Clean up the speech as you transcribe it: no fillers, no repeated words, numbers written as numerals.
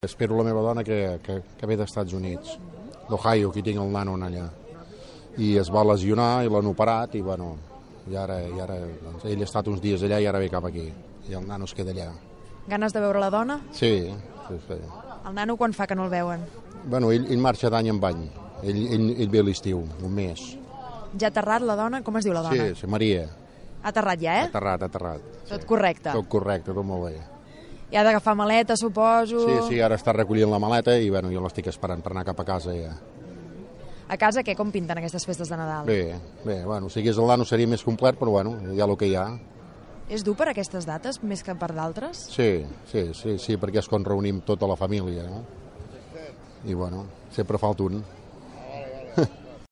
Espero la meva dona que ve dels Estats Units, d'Ohio, que tinc el nano allà. I es va lesionar i l'han operat i, bueno, i ara doncs, ell ha estat uns dies allà i ara ve cap aquí. I el nano es queda allà. Ganes de veure la dona? Sí. El nano quan fa que no el veuen? Bueno, ell marxa d'any en any. Ell ve a l'estiu, un mes. Ja ha aterrat la dona? Com es diu la dona? Sí, Maria. Ha aterrat ja, Ha aterrat. Tot correcte? Tot correcte, tot molt bé. I ha d'agafar maleta, suposo? Sí, ara està recollint la maleta i, bueno, jo l'estic esperant per anar cap a casa ja. A casa, què? Com pinten aquestes festes de Nadal? Bé, bueno, si hagués el nano seria més complet, però, bueno, hi ha el que hi ha. És dur per aquestes dates, més que per d'altres? Sí, perquè és quan reunim tota la família, no? I, bueno, sempre falta un.